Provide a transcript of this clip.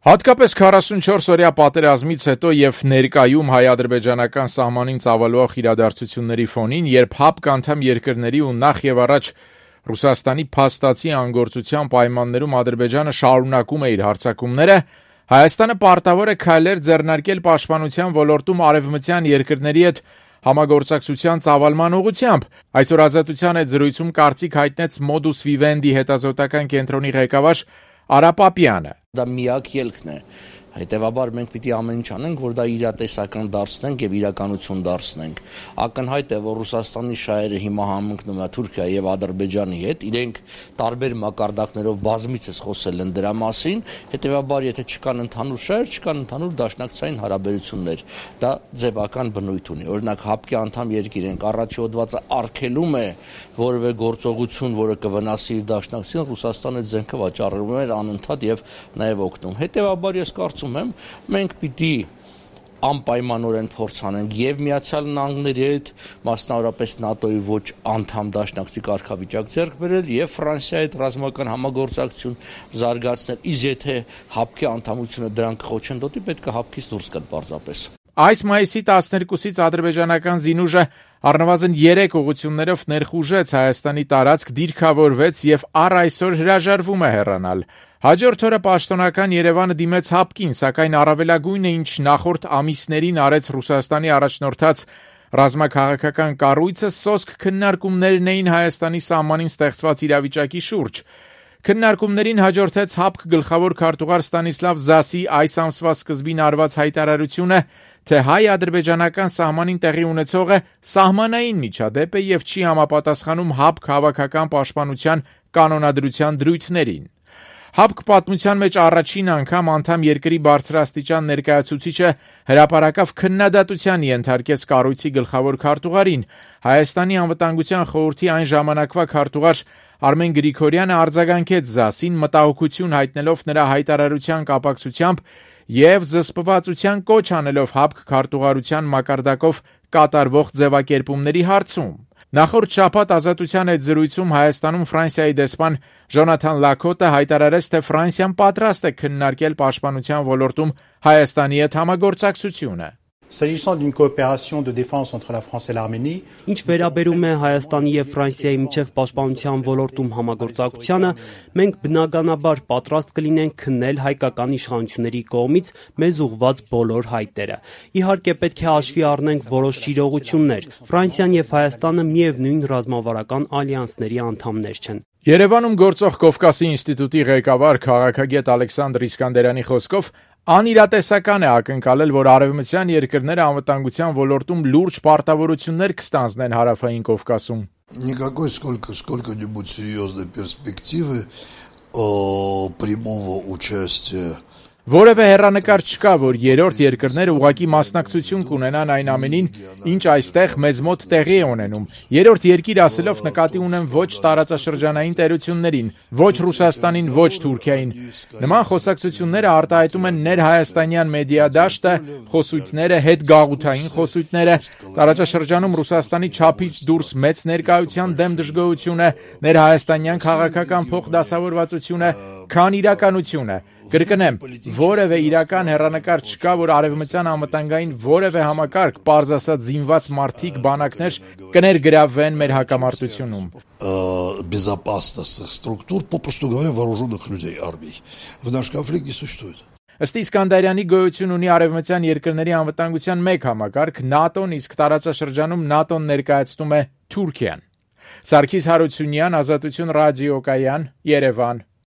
Հատկապես 44-օրյա պատերազմից հետո եւ ներկայում հայ-ադրբեջանական սահմանին ծավալվող իրադարձությունների ֆոնին, երբ ՀԱՊԿ անդամ երկրների ու նախ եւ առաջ Ռուսաստանի փաստացի անգործության պայմաններում Ադրբեջանը շարունակում է իր հարձակումները, Հայաստանը պարտավոր է քայլեր ձեռնարկել պաշտպանության ոլորտում արևմտյան երկրների հետ համագործակցության ծավալման ուղղությամբ։ Այսօր Ազատության հետ զրույցում կարծիք հայտնեց Modus Vivendi հետազոտական կենտրոնի ղեկավար Արա Պապյանը։ Դա միակ ելքն է, հետևաբար մենք պիտի ամեն ինչ անենք, որ դա իրատեսական դարձնենք եւ իրականություն դարձնենք։ Ակնհայտ է, որ Ռուսաստանի շահերը հիմա համընկնում է Թուրքիայի եւ Ադրբեջանի հետ, իրենք տարբեր մակարդակներով բազմիցս խոսել են դրա մասին, հետևաբար եթե չկան ընդհանուր շահեր, չկան ընդհանուր դաշնակցային հարաբերություններ, դա ձևական բնույթ ունի։ Օրինակ ՀԱՊԿ-ի անդամ երկիր ենք, առաջի հոդվածը արգելում է որևէ գործողություն, որը կվնասի իր դաշնակցությունը, Ռուսաստանը զենքը վաճառում էր անընդհատ եւ նաեւ օգնում։ Հետևաբար ես կարծում եմ, մենք պիտի անպայմանորեն փորձ անենք եւ Միացյալ Նահանգների հետ, մասնավորապես ՆԱՏՕ-ի ոչ անդամ դաշնակցի կարգավիճակ ձեռք բերել եւ Ֆրանսիայի հետ ռազմական համագործակցություն զարգացնել։ Իսկ եթե ՀԱՊԿ-ի անդամությունը դրան կխոչեն դոտի, պետք է ՀԱՊԿ-ից դուրս գալ պարզապես։ Այս մայիսի 12-ից ադրբեջանական զինուժը առնվազն 3 ուղղություններով ներխուժեց Հայաստանի տարածք, դիրքավորվեց եւ առ այսօր հրաժարվում է հեռանալ։ Հաջորդ օրը պաշտոնական Երևանը դիմեց ՀԱՊԿ-ին, սակայն առավելագույնը, ինչ նախորդ ամիսներին արեց Ռուսաստանի առաջնորդած ռազմաքաղաքական կառույցը, սոսկ քննարկումներն էին Հայաստանի սահմանին ստեղծված իրավիճակի շուրջ։ Քննարկումներին հաջորդեց ՀԱՊԿ գլխավոր քարտուղար Ստանիսլավ Զասի այս ամսվա սկզբին արված հայտարարությունը, թե հայ-ադրբեջանական սահմանին տեղի ունեցողը սահմանային միջադեպ է եւ չի համապատասխանում ՀԱՊԿ հավաքական պաշտպանության կանոնադրության դրույթներին։ ՀԱՊԿ պատմության մեջ առաջին անգամ անդամ երկրի բարձրաստիճան ներկայացուցիչը հրապարակավ քննադատության ենթարկեց կառույցի գլխավոր քարտուղարին։ Հայաստանի անվտանգության խորհրդի այն ժամանակվա քարտուղար Արմեն Գրիգորյանը արձագանքեց Զասին, մտահոգություն հայտնելով նրա հայտարարության կապակցությամբ եւ զսպվածության կոչ անելով ՀԱՊԿ քարտուղարության մակարդակով կատարվող ձևակերպումների հարցում։ Նախորդ շաբաթ Ազատության հետ զրույցում Հայաստանում Ֆրանսիայի դեսպան Ժոնաթան Լակոտը հայտարարեց, թե Ֆրանսիան պատրաստ է քննարկել պաշտպանության ոլորտում Հայաստանի հետ համագործակցությունը։ S'agissant d'une coopération de défense entre la France et l'Arménie, Ինչ վերաբերում է Հայաստանի եւ Ֆրանսիայի միջև պաշտպանության ոլորտում համագործակցությանը, մենք բնականաբար պատրաստ կլինենք քննել հայկական իշխանությունների կողմից մեզ ուղղված բոլոր հայտերը։ Իհարկե պետք է հաշվի առնենք որոշ իրողություններ։ Ֆրանսիան եւ Հայաստանը միևնույն ռազմավարական ալյանսների անդամներ չեն։ Երևանում գործող Կովկասի ինստիտուտի ղեկավար քաղաքագետ Ալեքսանդր Իսկանդերյանի խոսքով անիրատեսական է ակնկալել, որ արևմտյան երկրները անվտանգության ոլորտում լուրջ պարտավորություններ կստանձնեն հարավային Կովկասում։ Никакой сколько-нибудь серьезной перспективы прямого участия. Որևէ հեռանկար չկա, որ երրորդ երկրները ուղղակի մասնակցություն կունենան այն ամենին, ինչ այստեղ մեզ մոտ տեղի է ունենում։ Երրորդ երկիր ասելով նկատի ունեմ ոչ տարածաշրջանային տերություններին, ոչ Ռուսաստանին, ոչ Թուրքիային։ Նման խոսակցությունները արտահայտում են ներհայաստանյան մեդիադաշտը, խոսույթները, հետգաղութային խոսույթները, տարածաշրջանում Ռուսաստանի չափից դուրս մեծ ներկայության դեմ դժգոհությունը, ներհայաստանյան քաղաքական փոխդասավորվածությունը, քան իրականությունը։ Կրկնեմ, որևէ իրական հեռանկար չկա, որ արևմտյան անվտանգային որևէ համակարգ, պարզ ասած զինված մարդիկ, բանակներ կներգրավվեն մեր հակամարտությունում։ Безопасностных структур, попросту говоря, вооруженных людей, армий. В наш конфликт не существует. Ըստ Իսկանդարյանի գոյություն ունի արևմտյան երկրների անվտանգության մեկ համակարգ, ՆԱՏՕ-ն, իսկ տարածաշրջանում ՆԱՏՕ-ն ներկայացնում է Թուրքիան։ Սարգիս Հարությունյան, Ազատություն ռադիոկայան, Երևան։